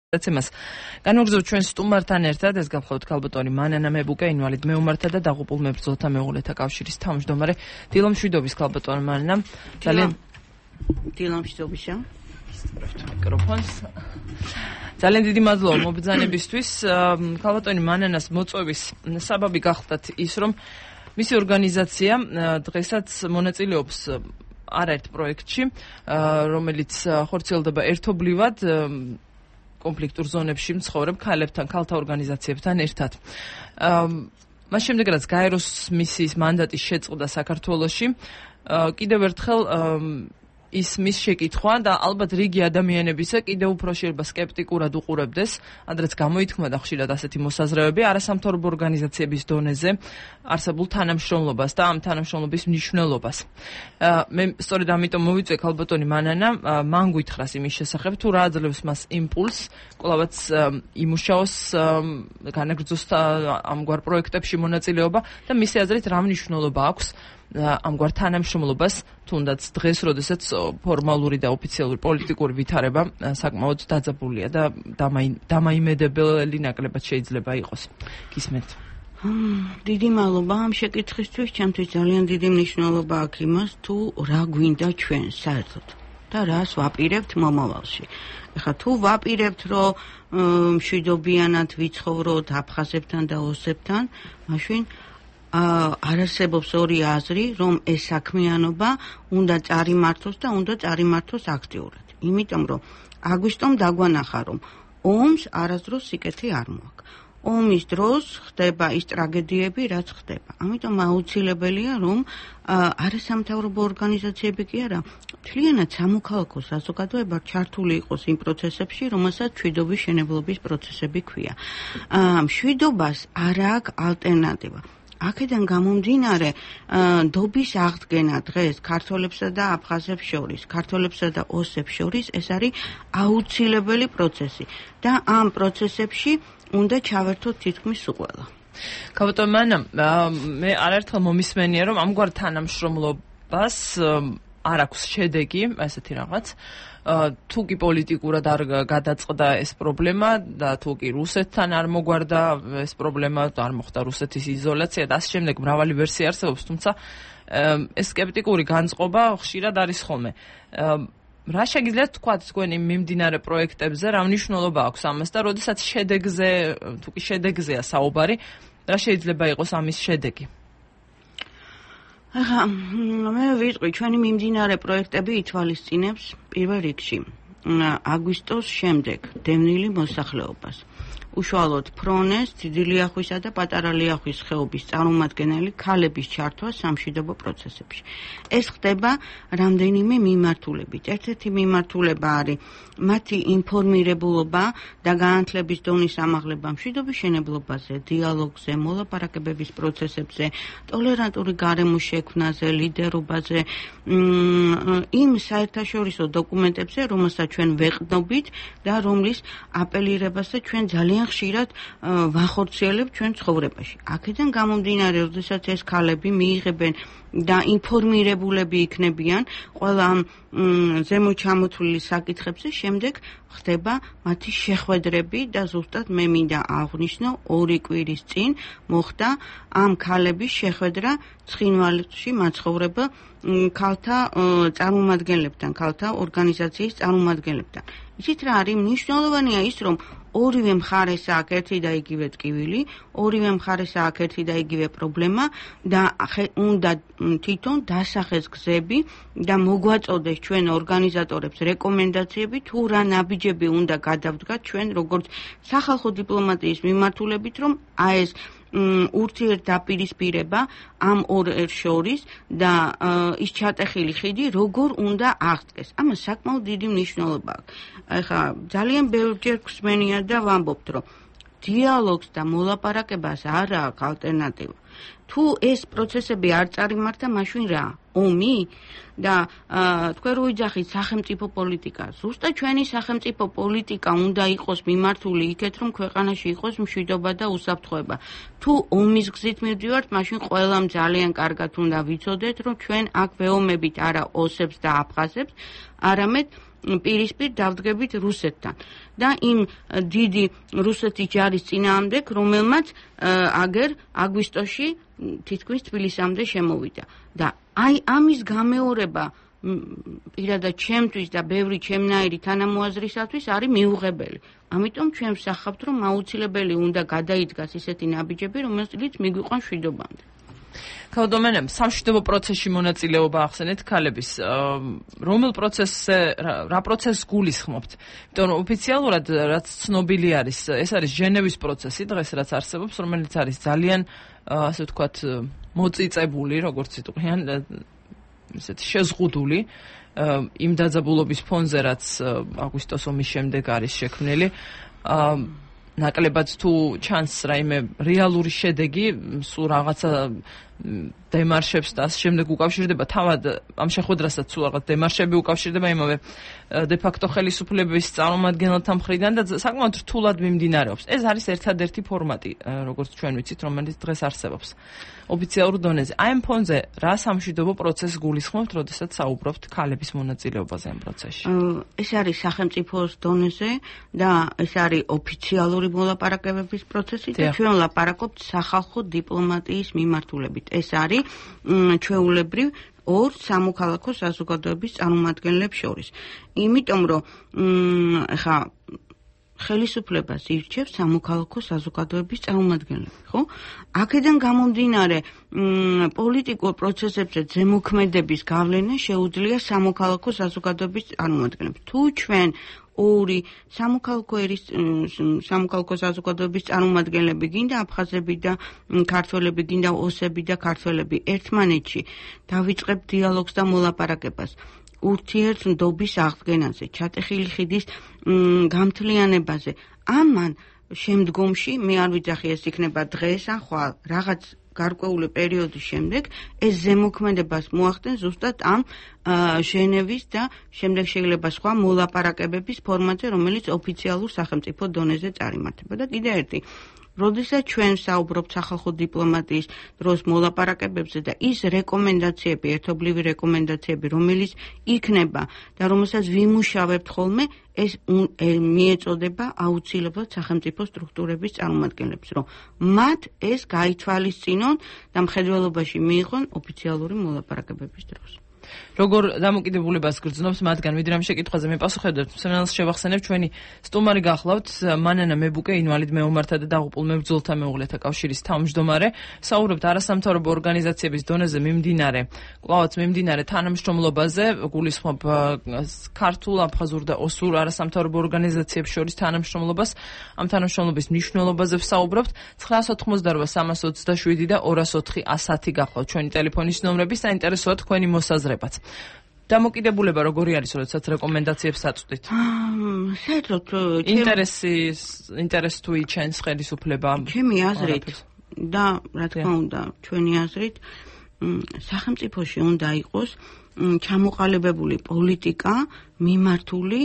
დაცემას განვაგრძობთ ჩვენ სტუმართან ერთად ეს გახლავთ ქალბატონი მანანა მებუკე ინვალიდ მეომართა და დაღუპულ მებრძოლთა მეუღლეთა კავშირის თავმჯდომარე დილო მშვიდობის ქალბატონი მანანა ძალიან დილო მშვიდობისა მიკროფონს ძალიან დიდი მადლობა მობრძანებისთვის ქალბატონი მანანას მოწვევის საბაბი გახლდათ ის რომ მისი ორგანიზაცია დღესაც მონაწილეობს არაერთ პროექტში რომელიც ხორციელდება ერთობლივად კონფლიქტურ ზონებში მცხოვრებ ქალებთან, ქალთა ორგანიზაციებთან ერთად. მას შემდეგ რაც გაეროს მისიის მანდატის შეწყდა საქართველოში, კიდევ ერთხელ ის მის შეკითხვა და ალბათ რიგი ადამიანებისა კიდევ უფრო შეიძლება სკეპტიკურად უყურებდეს, ადრეც გამოითქმოდა ხშირად ასეთი მოსაზრებები არასამთავრობო ორგანიზაციების დონეზე არსებულ თანამშრომლობას და ამ თანამშრომლობის მნიშვნელობას. მე სწორედ ამიტომ მოვიწვე ქალბატონი მანანა, მან გითხრას იმის შესახებ, თუ რა აძლევს მას იმპულსს, კვლავაც იმუშაოს განაგრძოს ამგვარ პროექტებში მონაწილეობა და მისი აზრით რა მნიშვნელობა აქვს ამგვარ თანამშრომლობას, თუნდაც დღეს, როდესაც ფორმალური და ოფიციალური პოლიტიკური ვითარება საკმაოდ დაძაბულია და დამაიმედებელი ნაკლებად შეიძლება იყოს. გისმენთ. დიდი მადლობა ამ შეკითხვისთვის, ჩემთვის ძალიან დიდი მნიშვნელობა აქვს იმას, თუ რა გვინდა ჩვენ საერთოდ და რას ვაპირებთ მომავალში. ეხლა თუ ვაპირებთ, რომ მშვიდობიანად ვიცხოვროთ აფხაზებთან და ოსებთან, მაშინ არასებობს ორი აზრი, რომ ეს საქმიანობა უნდა წარიმართოს და უნდა წარიმართოს აქტიურად. იმიტომ რომ აგვისტომ დაგვანახა, რომ ომს არასდროს სიკეთე არ მოაქვს. ომის დროს ხდება ის ტრაგედიები, რაც ხდება. ამიტომ აუცილებელია, რომ არასამთავრობო ორგანიზაციები კი არა, მთლიანად სამოქალაქო საზოგადოება ჩართული იყოს იმ პროცესებში, რომელსაც მშვიდობის შენებლობის პროცესები ქვია. მშვიდობას არ აქვს ალტერნატივა. აქედან გამომდინარე დობის აღდგენა დღეს ქართველებსა და აფხაზებს შორის, ქართველებსა და ოსებს შორის ეს არის აუცილებელი პროცესი და ამ პროცესებში უნდა ჩავერთოთ თითქმის ყველა. ქალბატონი მანანა, მე არაერთხელ მომისმენია, რომ ამგვარ თანამშრომლობას არ აქვს შედეგი, ესეთი რაღაც. თუ კი პოლიტიკურად არ გადაწყდა ეს პრობლემა და თუ კი რუსეთთან არ მოგვარდა ეს პრობლემა, არ მოხდა რუსეთის იზოლაცია და ასე შემდეგ მრავალი ვერსია არსებობს, თუმცა ეს სკეპტიკური განწყობა ხშირად არის ხოლმე. რა შეგიძლიათ თქვათ თქვენი მიმდინარე პროექტებზე, რა მნიშვნელობა აქვს ამას და როდესაც შედეგზე, თუ კი შედეგზეა საუბარი, რა შეიძლება იყოს ამის შედეგი? მე ვიტყვი, ჩვენი მიმდინარე პროექტები ითვალისწინებს პირველ რიგში აგვისტოს შემდეგ დევნილი მოსახლეობას. უშუალოდ ფრონეს, დიდი ლიახვისა და პატარა ლიახვის ხეობის წარმომადგენელი ქალების ჩართვა სამშვიდობო პროცესებში. ეს ხდება რამდენიმე მიმართულებით. ერთ-ერთი მიმართულება არის მათი ინფორმირებულობა და განათლების დონის ამაღლება მშვიდობის შენებლობაზე, დიალოგზე, მოლაპარაკებების პროცესებზე, ტოლერანტული გარემოს შექმნაზე, ლიდერობაზე, იმ საერთაშორისო დოკუმენტებზე, რომელსაც ჩვენ ვეყნობით და რომლის აპელირებასაც ჩვენ ძალიან ხშირად ვახორციელებთ ჩვენ ცხოვრებაში. აქედან გამომდინარე, როდესაც ეს ქალები მიიღებენ და ინფორმირებულები იქნებიან ყველა ამ ზემოჩამოთვლილი საკითხებზე, შემდეგ ხდება მათი შეხვედრები და ზუსტად მე მინდა აღვნიშნო 2 კვირის წინ მოხდა ამ ქალების შეხვედრა ცხინვალში მაცხოვრებელ ქალთა წარმომადგენლებთან, ქალთა ორგანიზაციის წარმომადგენლებთან. იცით რა არის მნიშვნელოვანია ის, რომ ორივე მხარეს აქვს ერთი და იგივე ტკივილი, ორივე მხარეს აქვს ერთი და იგივე პრობლემა და უნდა თვითონ დასახეს გზები და მოგვაწოდეს ჩვენ ორგანიზატორებს რეკომენდაციები, თუ რა ნაბიჯები უნდა გადავდგათ ჩვენ როგორც სახალხო დიპლომატიის მიმართულებით, რომ ეს ურთიერთდაპირისპირება ამ ორ შორის და ის ჩატეხილი ხიდი როგორ უნდა აღდგეს. ამას საკმაოდ დიდი მნიშვნელობა აქვს. ეხლა ძალიან ბევრჯერ გვსმენია და ვამბობთ, რომ დიალოგს და მოლაპარაკებას არ აქვს ალტერნატივა. თუ ეს პროცესები არ წარიმართა, მაშინ რა? ომი და თქვენ რო იძახით სახელმწიფო პოლიტიკა. ზუსტად ჩვენი სახელმწიფო პოლიტიკა უნდა იყოს მიმართული იქეთ, რომ ქვეყანაში იყოს მშვიდობა და უსაფრთხოება. თუ ომის გზით მივდივართ, მაშინ ყველამ ძალიან კარგად უნდა ვიცოდეთ, რომ ჩვენ აქ ვეომებით არა ოსებს და აფხაზებს, არამედ პირისპირ დავდგებით რუსეთთან და იმ დიდი რუსეთის ჯარის წინააღმდეგ, რომელმაც აგერ აგვისტოში თითქმის თბილისამდე შემოვიდა და აი ამის გამეორება პირადად ჩემთვის და ბევრი ჩემნაირი თანამოაზრისათვის არის მიუღებელი. ამიტომ ჩვენ ვსახავთ, რომ აუცილებელი უნდა გადაიდგას ისეთი ნაბიჯები, რომელიც მიგვიყვანს მშვიდობამდე. ქალბატონო, სამშვიდობო პროცესში მონაწილეობა ახსენეთ ქალების. რომელ პროცესზე, რა პროცესს გულისხმობთ? იმიტომ რომ ოფიციალურად რაც ცნობილი არის, ეს არის ჟენევის პროცესი, დღეს რაც არსებობს, რომელიც არის ძალიან, ასე ვთქვათ, მოწიწებული, როგორც იტყვიან, ისეთ შეზღუდული იმ დაძაბულობის ფონზე, რაც აგვისტოს ომის შემდეგ არის შექმნილი. ნაკლებად თუ ჩანს რაიმე რეალური შედეგი, სულ რაღაცა დემარშებს და ამ შემდეგ უკავშირდება თავად ამ შეხვედრასაც სულ რაღაც დემარშები უკავშირდება იმავე დე-ფაქტო ხელისუფლების წარმომადგენელთა მხრიდან და საკმაოდ რთულად მიმდინარეობს. ეს არის ერთადერთი ფორმატი, როგორც ჩვენ ვიცით, რომელიც დღეს არსებობს ოფიციალურ დონეზე. აი ამ ფონზე რა სამშვიდობო პროცესს გულისხმობთ, როდესაც საუბრობთ ქალების მონაწილეობაზე ამ პროცესში? ეს არის სახელმწიფოს დონეზე და ეს არის ოფიციალური მოლაპარაკებების პროცესი და ჩვენ ვლაპარაკობთ სახალხო დიპლომატიის მიმართულებით. ეს არის ჩვეულებრივ ორ სამოქალაქო საზოგადოების წარმომადგენლებს შორის. იმიტომ რომ ხა ხელისუფლებას ირჩევს სამოქალაქო საზოგადოების წარმომადგენლები, ხო? აქედან გამომდინარე, პოლიტიკურ პროცესებზე ზემოქმედების გავლენა შეუძლია სამოქალაქო საზოგადოების წარმომადგენლებს. თუ ჩვენ ორი სამოქალაქო საზოგადოების წარმომადგენლები, გინდა აფხაზები და ქართველები, გინდა ოსები და ქართველები ერთმანეთში დავიწყებთ დიალოგს და მოლაპარაკებას. ურთიერთდობის აღდგენაზე, ჩატეხილი ხიდის გამთლიანებაზე. ამან შემდგომში მე არ ვიცახი ეს იქნება დღეს ან ხვალ, რაღაც გარკვეული პერიოდის შემდეგ ეს ზემოქმედებას მოახდენს ზუსტად ამ ჟენევის და შემდეგ შეიძლება სხვა მოლაპარაკებების ფორმატზე, რომელიც ოფიციალურ სახელმწიფო დონეზე წარიმართება. და კიდე ერთი, როდესაც ჩვენ საუბრობთ სახალხო დიპლომატიის დროს მოლაპარაკებებზე და ის რეკომენდაციები, ერთობლივი რეკომენდაციები, რომელიც იქნება და რომელსაც ვიმუშავებთ ხოლმე, ეს მიეწოდება აუცილებლად სახელმწიფო სტრუქტურების წარმომადგენლებს, რომ მათ ეს გაითვალისწინონ და მხედველობაში მიიღონ ოფიციალური მოლაპარაკებების დროს. როგორ დამოკიდებულებას გრძნობს მათგან, ვიდრე ამ შეკითხვაზე მე პასუხებდეთ, სანელს შევახსენებ, ჩვენი სტუმარი გახლავთ მანანა მებუკე, ინვალიდ მეომართა და დაღუპულ მებრძოლთა მეუღლეთა კავშირის თავმჯდომარე. საუბრობთ არასამთავრობო ორგანიზაციების დონეზე მიმდინარე, კვლავაც მიმდინარე თანამშრომლობაზე, გულისხმობ ქართულ, აფხაზურ და ოსურ არასამთავრობო ორგანიზაციებს შორის თანამშრომლობას, ამ თანამშრომლობის მნიშვნელობაზე ვსაუბრობთ. 988 327 და 204 110 გახლავთ ჩვენი ტელეფონის ნომრები, საინტერესოა თქვენი მოსაზრება. დამოკიდებულება როგორი არის, როდესაც რეკომენდაციებს აწვდით? საერთოდ ინტერეს თუ იჩენს ხელისუფლება? ჩემი აზრით და რა თქმა უნდა, ჩვენი აზრით, სახელმწიფოში უნდა იყოს ჩამოყალიბებული პოლიტიკა მიმართული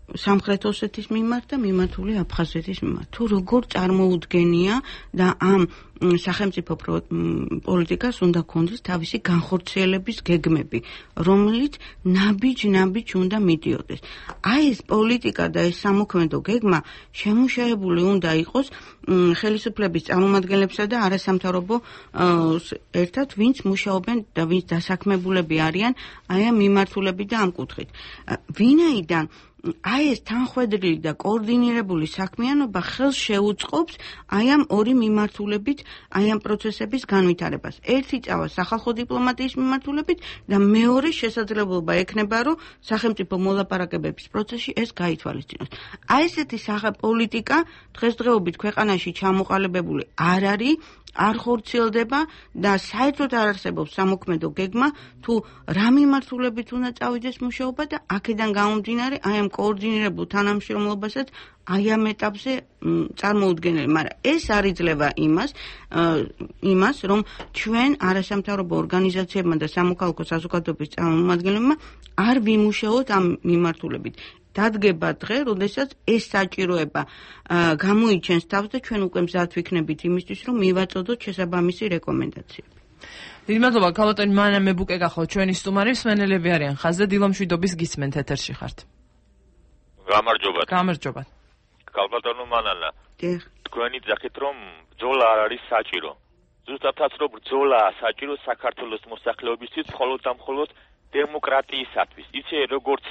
სამხრეთ ოსეთის მიმართ და მიმართული აფხაზეთის მიმართ. თუ როგორ წარმოუდგენია და ამ სახელმწიფო პოლიტიკას უნდა ქონდეს თავისი განხორციელების გეგმები, რომელიც ნაბიჯ-ნაბიჯ უნდა მიდიოდეს. აი ეს პოლიტიკა და ეს სამოქმედო გეგმა შემუშავებული უნდა იყოს ხელისუფლების წარმომადგენლებსა და არასამთავრობო ერთად, ვინც მუშაობენ და ვინც დასაქმებულები არიან აი ამ მიმართულებით და ამ კუთხით. ვინაიდან აი ეს თანხვედრილი და კოორდინირებული საქმიანობა ხელს შეუწყობს აი ამ ორი მიმართულებით, აი ამ პროცესების განვითარებას. ერთი წავა სახალხო დიპლომატიის მიმართულებით და მეორე შესაძლებლობა ექნება, რომ სახელმწიფო მოლაპარაკებების პროცესში ეს გაითვალისწინოს. აი ესეთი პოლიტიკა დღესდღეობით ქვეყანაში ჩამოყალიბებული არ არის, არ ხორციელდება და საერთოდ არ არსებობს სამოქმედო გეგმა, თუ რა მიმართულებით უნდა წავიდეს მუშაობა და აქედან გამომდინარე აი ამ კოორდინირებულ თანამშრომლობასაც აი ამ ეტაპზე წარმოუდგენელი, მაგრამ ეს არ იძლევა იმას, რომ ჩვენ არასამთავრობო ორგანიზაციებმა და სამოქალაქო საზოგადოების წარმომადგენლებმა არ ვიმუშაოთ ამ მიმართულებით. დადგება დღე, როდესაც ეს საჭიროება გამოიჩენს თავს და ჩვენ უკვე მზად ვიქნებით იმისთვის, რომ მივაწოდოთ შესაბამისი რეკომენდაციები. დიდი მადლობა, ქალბატონი მანა მებუკე გახავთ ჩვენი სტუმარი, მსმენელები არიან ხაზზე, დილომშვიდობის გისმენთ, ეთერში ხართ. გამარჯობათ. გამარჯობათ. ქალბატონო მანანა. დიახ. თქვენი ძახით რომ ბრძოლა არ არის საჭირო. ზუსტადაც რომ ბრძოლაა საჭირო საქართველოს მოსახლეობისთვის მხოლოდ და მხოლოდ დემოკრატიისათვის. იცი როგორც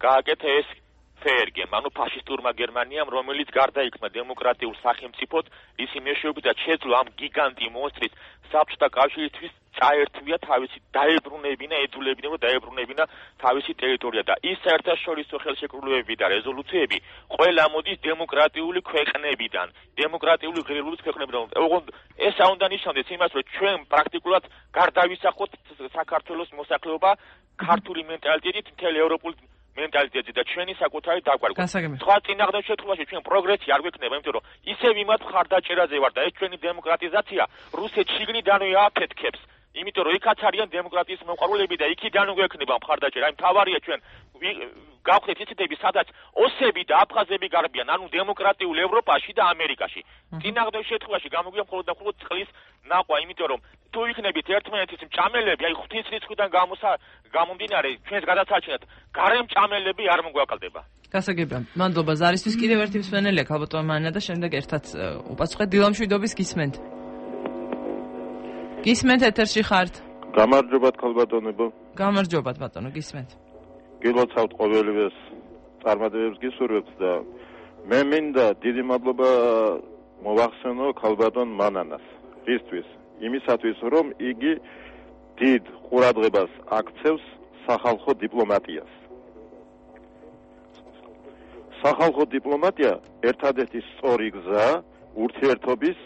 გააკეთა ეს ფერგემ, ანუ ფაშისტურმა გერმანიამ, რომელიც გარდაიქმნა დემოკრატიულ სახელმწიფოდ, ისი მეშვეობით შეძლო ამ გიგანტი მონსტრის საბჭოთა კავშირისთვის წაერთვია თავისი დაებრუნებინა, ედულებინა და დაებრუნებინა თავისი ტერიტორია და ის საერთაშორისო ხელშეკრულებები და რეზოლუციები ყველა მოდის დემოკრატიული ქვეყნებიდან, დემოკრატიული ღირებულების ქვეყნებიდან. ოღონდ ეს არ უნდა ნიშნავდეს იმას, რომ ჩვენ პრაქტიკულად გარდავისახოთ საქართველოს მოსახლეობა ქართული მენტალიტეტით მთელი ევროპული მენტალიტეტი და ჩვენი საკუთარი დაგვარგვა. სხვა წინააღმდეგ შემთხვევაში ჩვენ პროგრესი არ გვექნება, იმიტომ რომ ისევ იმათ მხარდაჭერაზე ვარ და ეს ჩვენი დემოკრატიზაცია რუსეთს შიგნიდანვე აფეთქებს. იმიტომ რომ იქაც არიან დემოკრატიის მოყვარულები და იქიდან გვექნება მხარდაჭერა. აი მთავარია ჩვენ გავხდეთ ისეთები, სადაც ოსები და აფხაზები გარბიან, ანუ დემოკრატიულ ევროპაში და ამერიკაში. წინააღმდეგ შემთხვევაში გამოგვია მხოლოდ და მხოლოდ წყლის ნახვა, იმიტომ რომ თუ იქნებით ერთმანეთის მჭამელები, აი ღვთის რიცხვიდან გამომდინარე, ჩვენს გადაცაჩინათ, გარე მჭამელები არ მოგვაკლდება. გასაგებია. მადლობა ზარისთვის. კიდევ ერთი მსმენელია ქალბატონი მანა და შემდეგ ერთად უპასუხეთ დილომშვიდობის გისმენთ. გისმენთ, ეთერში ხართ. გამარჯობათ ქალბატონებო. გამარჯობათ ბატონო, გისმენთ. გილოცავთ ყოველივეს წარმატებებს გისურვებთ და მე მინდა დიდი მადლობა მოვახსენო ქალბატონ მანანას. ისთვის, იმისათვის რომ იგი დიდ ყურადღებას აქცევს სახალხო დიპლომატიას. სახალხო დიპლომატია ერთადერთი სწორი გზაა ურთიერთობის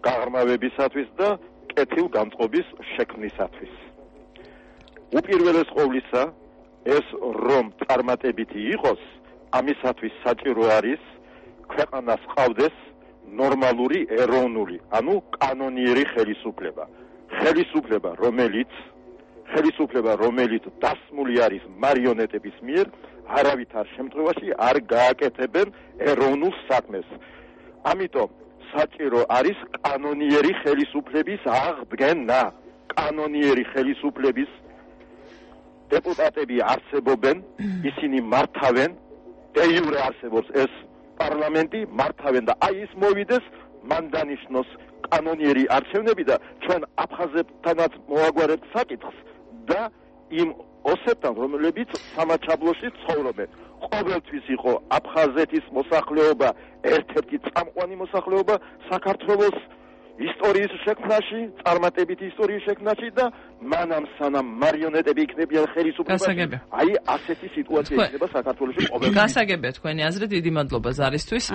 გაღრმავებისათვის და კეთილგანწყობის შექმნისათვის. უპირველეს ყოვლისა, ეს რომ წარმატებითი იყოს, ამისათვის საჭირო არის ქვეყანას ყავდეს ნორმალური ეროვნული, ანუ კანონიერი ხელისუფლება. ხელისუფლება, რომელიც დასმული არის მარიონეტების მიერ, არავითარ შემთხვევაში არ გააკეთებენ ეროვნულ საქმეს. ამიტომ საჭირო არის კანონიერი ხელისუფლების აღდგენა. კანონიერი ხელისუფლების დეპუტატები არსებობენ, ისინი მართავენ, დე იურე არსებობს ეს პარლამენტი, მართავენ და აი ის მოვიდეს, მან დანიშნოს კანონიერი არჩევნები და ჩვენ აფხაზებთანაც მოაგვარებთ საკითხს და იმ ოსებთან, რომლებიც სამაჩაბლოში ცხოვრობენ. ყოველთვის იყო აფხაზეთის მოსახლეობა ერთ-ერთი წამყვანი მოსახლეობა საქართველოს ისტორიის შექმნაში, წარმატებითი ისტორიის შექმნაში და მანამ სანამ მარიონეტები იქნებიან ხელისუფლებაში, აი ასეთი სიტუაცია იქნება საქართველოში ყოველთვის. გასაგებია თქვენი აზრი, დიდი მადლობა ზარისთვის.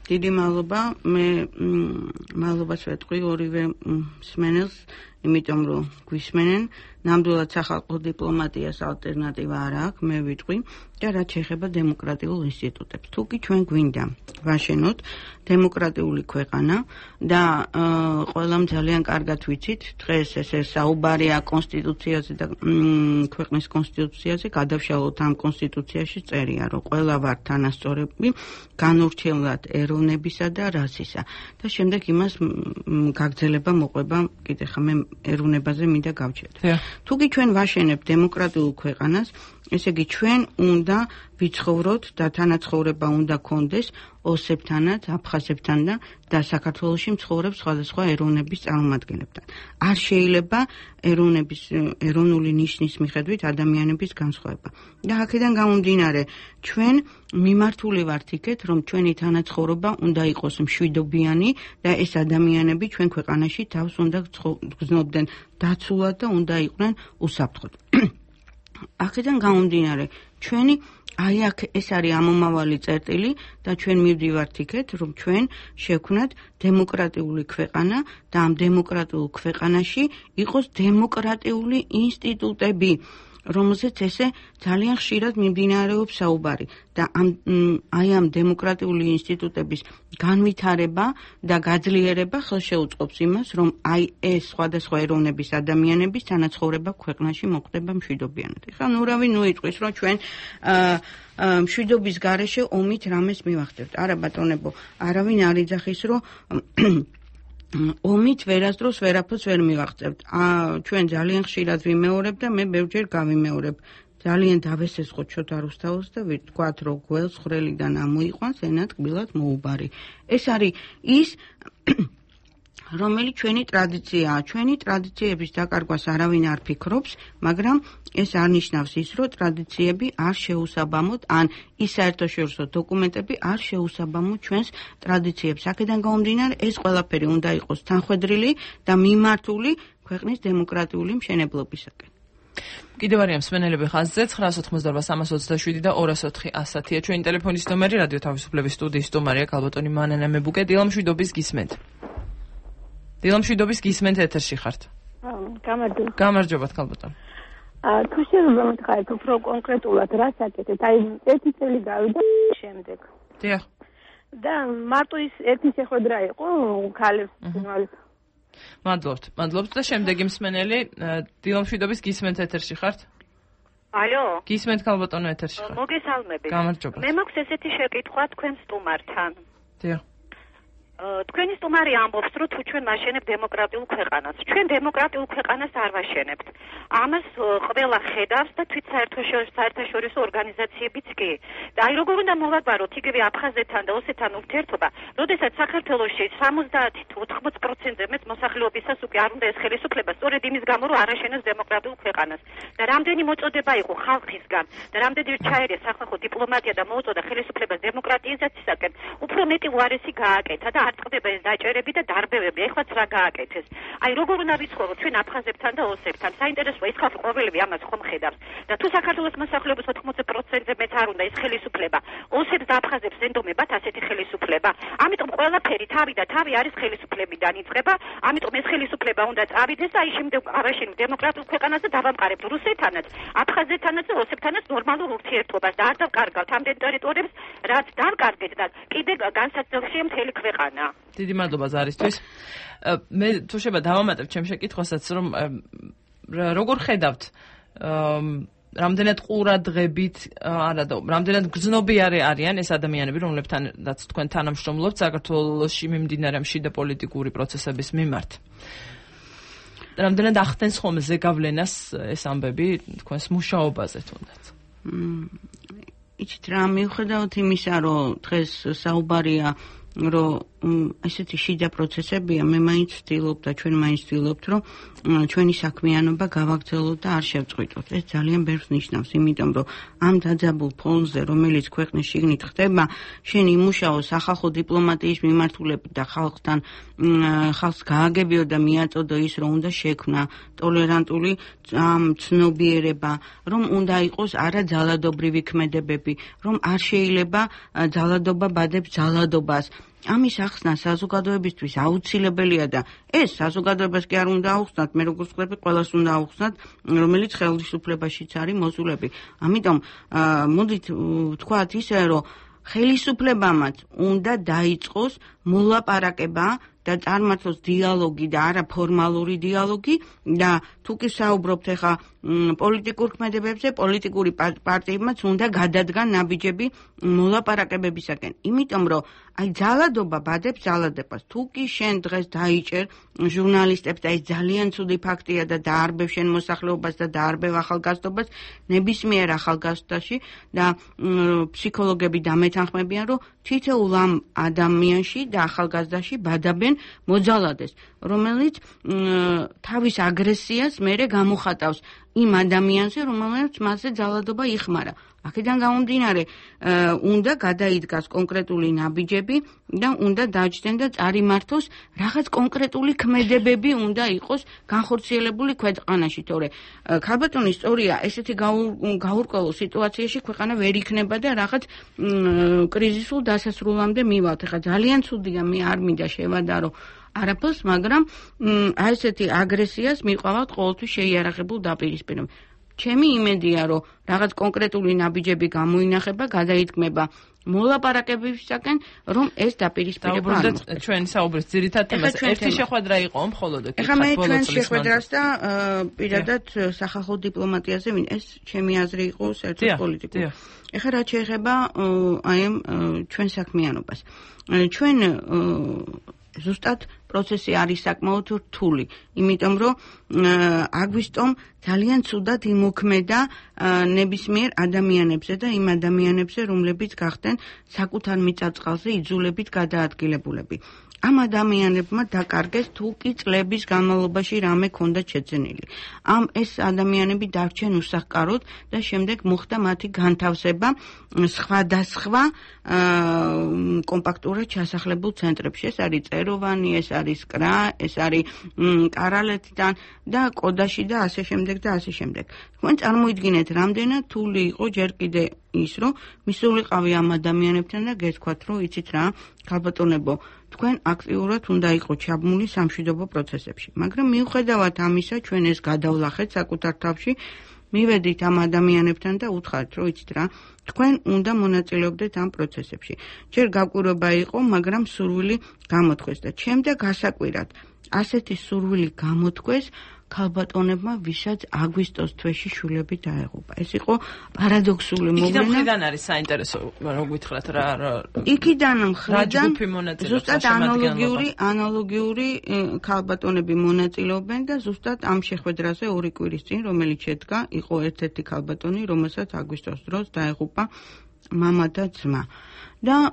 დიდი მადლობა, მე მადლობას ვეთქვი ორივე მსმენელს, იმიტომ რომ გვისმენენ, ნამდვილად სახალხო დიპლომატიას ალტერნატივა არ აქვს, მე ვიტყვი და რაც შეეხება დემოკრატიულ ინსტიტუტებს. თუ კი ჩვენ გვინდა ვაშენოთ დემოკრატიული ქვეყანა და ყველამ ძალიან კარგად ვიცით, დღეს ესე საუბარია კონსტიტუციაზე და ქვეყნის კონსტიტუციაზე, გადავშალოთ ამ კონსტიტუციაში წერია, რომ ყველა ვართ თანასწორები, განურჩევლად ეროვნებისა და რასისა და შემდეგ იმას გაგრძელება მოყვება, კიდე ხა მე ეროვნებაზე მინდა გავჩერდე. თუ კი ჩვენ ვაშენებთ დემოკრატიულ ქვეყანას, ესე იგი ჩვენ უნდა ვიცხოვროთ და თანაცხოვრება უნდა გქონდეს ოსებთანაც, აფხაზებთან და საქართველოში მცხოვრებ სხვადასხვა ეროვნების წარმომადგენლებთან. არ შეიძლება ეროვნული ნიშნის მიხედვით ადამიანების განსხვავება. და აქედან გამომდინარე, ჩვენ მიმართული ვართ იქეთ, რომ ჩვენი თანაცხოვრება უნდა იყოს მშვიდობიანი და ეს ადამიანები ჩვენ ქვეყანაში თავს უნდა გრძნობდნენ დაცულად და უნდა იყვნენ უსაფრთხოდ. აქედან გამომდინარე, ჩვენი აი აქ ეს არის ამომავალი წერტილი და ჩვენ მივდივართ იქეთ, რომ ჩვენ შევქმნათ დემოკრატიული ქვეყანა და ამ დემოკრატიულ ქვეყანაში იყოს დემოკრატიული ინსტიტუტები, რომელზეც ესე ძალიან ხშირად მიმდინარეობს საუბარი და ამ დემოკრატიული ინსტიტუტების განვითარება და გაძლიერება ხელშეუწყობს იმას, რომ აი ეს სხვადასხვა ეროვნების ადამიანების თანაცხოვრება ქვეყანაში მოხდება მშვიდობიანად. ეხლა ნურავი იტყვის, რომ ჩვენ მშვიდობის გარეშე ომით რამეს მივახდებთ. არა ბატონებო, არავინ არ იძახის, რომ ომით ვერასდროს ვერაფერს ვერ მივაღწევთ. ჩვენ ძალიან ხშირად ვიმეორებ და მე ბევრჯერ გავიმეორებ. ძალიან დავესესხო ჩოთა რუსთაველს და ვთქვათ, რომ გველს ხვრელიდან ამოიყვანს, ენა ტკბილად მოუბარი. ეს არის ის რომელიც ჩვენი ტრადიციაა. ჩვენი ტრადიციების დაკარგვას არავინ არ ფიქრობს, მაგრამ ეს არ ნიშნავს ის, რომ ტრადიციები არ შეუსაბამოთ, ან ის საერთაშორისო დოკუმენტები არ შეუსაბამოთ ჩვენს ტრადიციებს. აქედან გამომდინარე, ეს ყველაფერი უნდა იყოს თანხვედრილი და მიმართული ქვეყნის დემოკრატიული მშენებლობისაკენ. კიდევ არიან მსმენელები ხაზზე 988-327 და 204-100-ია ჩვენი ტელეფონის ნომერი, რადიო თავისუფლების სტუდიის სტუმარია ქალბატონი მანანა მებუკე. დილამშვიდობის გისმენთ. დილამშვიდობის გისმენთ, ეთერში ხართ. გამარჯობა. გამარჯობათ ქალბატონი. თუ შეიძლება მითხარით უფრო კონკრეტულად რას აკეთეთ? აი ერთი წელი გავიდა შემდეგ. დიახ. და მარტო ის ერთი შეხვედრა იყო ქალებს თვალის. მადლობთ და შემდეგი მსმენელი დილამშვიდობის გისმენთ, ეთერში ხართ? ალო. გისმენთ ქალბატონო, ეთერში ხართ. მოგესალმებით. გამარჯობა. მე მაქვს ესეთი შეკითხვა თქვენ სტუმართან. დიახ. თქვენი სტუმარი ამბობს, რომ თუ ჩვენ ვაშენებთ დემოკრატიულ ქვეყანას. ჩვენ დემოკრატიულ ქვეყანას არ ვაშენებთ. ამას ყველა ხედავს და თვით საერთაშორისო ორგანიზაციებიც კი. და აი როგორ უნდა მოვაგვაროთ იგივე აფხაზეთთან და ოსეთთან ურთიერთობა, როდესაც საქართველოში 70-80%-ზე მეც მოსახლეობისას უკვე არ უნდა ეს ხელისუფლება, სწორედ იმის გამო, რომ არ აშენებს დემოკრატიულ ქვეყანას. და რამდენი მოწოდება იყო ხალხისგან და რამდენი ჩაერია სახალხო დიპლომატია და მოუწოდა ხელისუფლებას დემოკრატიზაციისაკენ, უფრო მეტი უარესი გააკეთა და არ წყდება ეს დაჭერები და დარბევები. ეხლაც რა გააკეთეს? აი როგორ უნდა ვიცხოვოთ ჩვენ აფხაზებთან და ოსებთან? საინტერესოა ის ხალხი ყოველივე ამას ხომ ხედავს. და თუ საქართველოს მოსახლეობის 80%-ზე მეც არ უნდა ეს ხელისუფლება, ოსებს და აფხაზებს ენდომებათ ასეთი ხელისუფლება. ამიტომ ყველაფერი თავი და თავი არის ხელისუფლებიდან იწყება. ამიტომ ეს ხელისუფლება უნდა წავიდეს და აი შემდეგ ავაშენებთ დემოკრატიულ ქვეყანას და დავამყარებთ რუსეთთანაც, აფხაზეთთანაც და ოსებთანაც ნორმალურ ურთიერთობას და არ დავკარგავთ ამდენ ტერიტორიებს, რაც დავკარგეთ და კიდე განსაცდელშია მთელი ქვეყანა. დიდი მადლობა ზარისთვის. მე თუ შეიძლება დავამატებ ჩემ შეკითხვასაც, რომ როგორ ხედავთ რამდენად ყურადღებით, არა და რამდენად გრძნობიარე არიან ეს ადამიანები, რომლებთანაც თქვენ თანამშრომლობთ საქართველოში მიმდინარე შიდა პოლიტიკური პროცესების მიმართ. რამდენად ახდენს ხოლმე ზეგავლენას ეს ამბები თქვენს მუშაობაზე თუნდაც? იცით რა, მიუხედავად იმისა, რომ დღეს საუბარია რომ ესეთი შიდა პროცესებია, მე მაინც ვცდილობ და ჩვენ მაინც ვცდილობთ, რომ ჩვენი საქმიანობა გავაგრძელოთ და არ შევწყვიტოთ. ეს ძალიან ბევრს ნიშნავს, იმიტომ რომ ამ დაძაბულ ფონზე, რომელიც ქვეყნის შიგნით ხდება, შენ იმუშაო სახალხო დიპლომატიის მიმართულებით და ხალხს გააგებიო და მიაწოდო ის, რომ უნდა შექმნა ტოლერანტული ცნობიერება, რომ უნდა იყოს არა ძალადობრივი ქმედებები, რომ არ შეიძლება ძალადობა ბადებს ძალადობას. ამის ახსნა საზოგადოებისთვის აუცილებელია და ეს საზოგადოებას კი არ უნდა აუხსნათ, მე როგორც ვხვდები, ყველას უნდა აუხსნათ, რომელიც ხელისუფლებაშიც არის მოსულები. ამიტომ მოდით ვთქვათ ისე, რომ ხელისუფლებამაც უნდა დაიწყოს მოლაპარაკება და წარმართოს დიალოგი და არა ფორმალური დიალოგი და თუ კი საუბრობთ ახლა პოლიტიკურ ქმედებებზე, პოლიტიკური პარტიებმაც უნდა გადადგან ნაბიჯები მოლაპარაკებებისაკენ. იმიტომ რომ აი ძალადობა ბადებს ძალადებას. თუ კი შენ დღეს დაიჭერ ჟურნალისტებს და ეს ძალიან ცუდი ფაქტია და დაარბევ შენ მოსახლეობას და დაარბევ ახალგაზრდობას, ნებისმიერ ახალგაზრდაში და ფსიქოლოგები დამეთანხმებიან, რომ თითოეულ ამ ადამიანში და ახალგაზრდაში ბადაბენ მოძალადეს, რომელიც თავის აგრესიას მერე გამოხატავს იმ ადამიანზე, რომელსაც მასზე ძალადობა იხმარა. აქედან გამომდინარე, უნდა გადაიდგას კონკრეტული ნაბიჯები და უნდა დაჯდნენ და წარიმართოს რაღაც კონკრეტული ქმედებები უნდა იყოს განხორციელებული ქვეყანაში, თორე ქალბატონი სწორია, ესეთი გაურკვეველ სიტუაციაში ქვეყანა ვერ იქნება და რაღაც კრიზისულ დასასრულამდე მივალთ. ეხლა ძალიან ცუდია, მე არ მინდა შევადარო არაფერს, მაგრამ აი ესეთი აგრესიას მიყავთ ყოველთვის შეიარაღებულ დაპირისპირებამ. ჩემი იმედია, რომ რაღაც კონკრეტული ნაბიჯები გამოინახება, გადაიდგმება მოლაპარაკებებისაკენ, რომ ეს დაპირისპირება არ მოხდეს. ჩვენ საუბრის ძირითად თემას ერთი შეხვედრა იყო მხოლოდ ეკითხა. ეხლა მე ჩვენ შეხვედრას და პირადად სახალხო დიპლომატიაზე ეს ჩემი აზრი იყო საერთოდ პოლიტიკური. ეხლა რაც შეეხება აი ამ ჩვენ საქმიანობას. ჩვენ ზუსტად პროცესი არის საკმაოდ რთული, იმიტომ რომ აგვისტომ ძალიან ცუდად იმოქმედა ნებისმიერ ადამიანებზე და იმ ადამიანებზე, რომლებიც გახდნენ საკუთარ მიწა-წყალზე იძულებით გადაადგილებულები. ამ ადამიანებმა დაკარგეს თუ კი წლების განმავლობაში რამე ქონდა შეძენილი. ეს ადამიანები დარჩენ უსახკაროდ და შემდეგ მოხდა მათი განთავსება სხვადასხვა კომპაქტურად ჩასახლებულ ცენტრებში. ეს არის წეროვანი, ეს არის კრა, ეს არის კარალეთიდან და კოდაში და ასე შემდეგ და ასე შემდეგ. თქვენ წარმოიდგინეთ, რამდენად თული იყო ჯერ კიდე ის, რომ მისულიყავი ამ ადამიანებთან და გეთქვათ, რომ იცით რა, ქალბატონებო, თქვენ აქტიურად უნდა იყოთ ჩაბმული სამშვიდობო პროცესებში. მაგრამ მიუხედავად ამისა, ჩვენ ეს გადავლახეთ საკუთარ თავში, მივედით ამ ადამიანებთან და უთხრათ, რომ იცით რა, თქვენ უნდა მონაწილეობდეთ ამ პროცესებში. ჯერ გაკვირვება იყო, მაგრამ სურვილი გამოთქვეს და შემდეგ გასაკვირად ასეთი სურვილი გამოთქვეს ქალბატონებმა, ვისაც აგვისტოს თვეში შვილები დაეღუპა. ეს იყო პარადოქსული მოვლენა. იქიდან არის საინტერესო, რომ გითხრათ რა იქიდან ზუსტად ანალოგიური ქალბატონები მონაწილეობენ და ზუსტად ამ შეხვედრაზე 2 კვირის წინ, რომელიც შედგა, იყო ერთ-ერთი ქალბატონი, რომელსაც აგვისტოს დროს დაეღუპა მამა და ძმა. და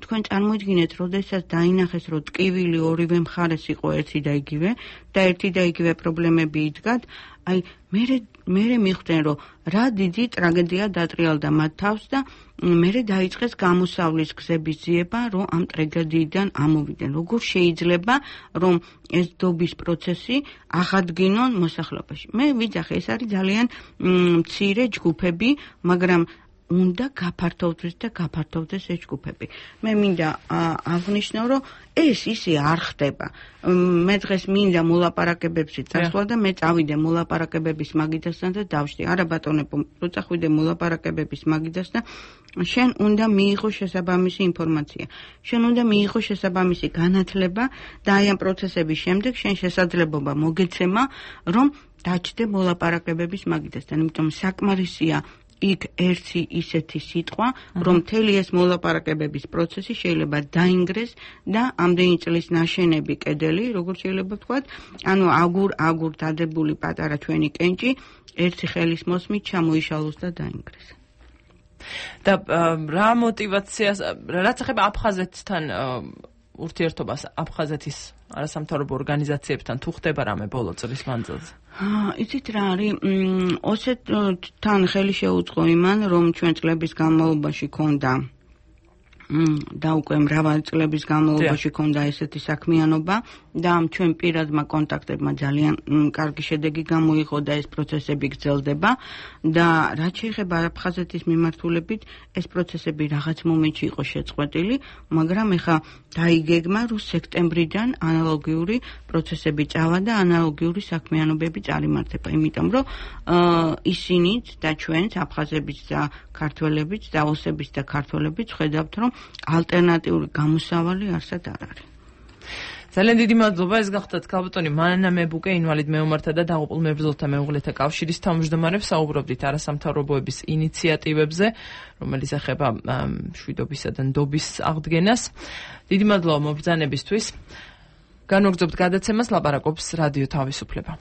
თქვენ წარმოიდგინეთ, როდესაც დაინახეს, რომ ტკივილი ორივე მხარეს იყო ერთი და იგივე და ერთი და იგივე პრობლემები იდგათ, აი მე მიხვდნენ, რომ რა დიდი ტრაგედია დატრიალდა მათ თავს და მე დაიწყეს გამოსავლის გზების ძიება, რომ ამ ტრაგედიიდან ამოვიდნენ. როგორ შეიძლება, რომ ეს დობის პროცესი აღადგინონ მოსახლეობაში? მე ვიძახე, ეს არის ძალიან მცირე ჯგუფები, მაგრამ უნდა გაფართოვდეს ეს ჯგუფები. მე მინდა აღნიშნო, რომ ეს ისე არ ხდება. მე დღეს მინდა მოლაპარაკებებში წასვლა და მე წავიდე მოლაპარაკებების მაგიდასთან და დავშდი. არა ბატონებო, რო წახვიდე მოლაპარაკებების მაგიდას და შენ უნდა მიიღო შესაბამისი ინფორმაცია. შენ უნდა მიიღო შესაბამისი განათლება და აი ამ პროცესების შემდეგ შენ შესაძლებლობა მოგეცემა, რომ დაჭდე მოლაპარაკებების მაგიდასთან. იმიტომ საკმარისია იქ ერთი ისეთი სიტყვა, რომ მთელი ეს მოლაპარაკებების პროცესი შეიძლება დაინგრეს და ამდენი წლის ნაშენები კედელი, როგორც შეიძლება ვთქვათ, ანუ აგურ დადებული პატარა ჩვენი კენჭი, ერთი ხელის მოსმით ჩამოიშალოს და დაინგრეს. და რა მოტივაციას, რაც ეხება აფხაზეთთან ურთიერთობას, აფხაზეთის არასამთავრობო ორგანიზაციებთან თუ ხდება რამე ბოლო წლის მანძილზე? იცით რა არის, ოსეთთან ხელი შეუწყო იმან, რომ ჩვენ წლების განმავლობაში ქონდა და უკვე მრავალი წლების განმავლობაში ქონდა ესეთი საქმიანობა და ჩვენ პირადმა კონტაქტებმა ძალიან კარგი შედეგი გამოიღო და ეს პროცესები გრძელდება და რაც შეეხება აფხაზეთის მიმართულებით, ეს პროცესები რაღაც მომენტში იყო შეწყვეტილი, მაგრამ ეხა დაიგეგმა, რომ სექტემბრიდან ანალოგიური პროცესები წავა და ანალოგიური საქმიანობები წარიმართება, იმიტომ რომ ისინიც და ჩვენც აფხაზებიც და ქართველებიც და ოსებიც და ქართველებიც ხედავთ, რომ ალტერნატიული გამოსავალი არსად არ არის. ძალიან დიდი მადლობა, ეს გახდათ ქალბატონი მანანა მებუკე, ინვალიდ მეომართა და დაღუპულ მებრძოლთა მეუღლეთა კავშირის თავმჯდომარებს, საუბრობდით არასამთავრობოების ინიციატივებზე, რომელიც ეხება მშვიდობისა და ნდობის აღდგენას. დიდი მადლობა მობრძანებისთვის. განვაგრძობთ გადაცემას, ლაპარაკობს რადიო თავისუფლება.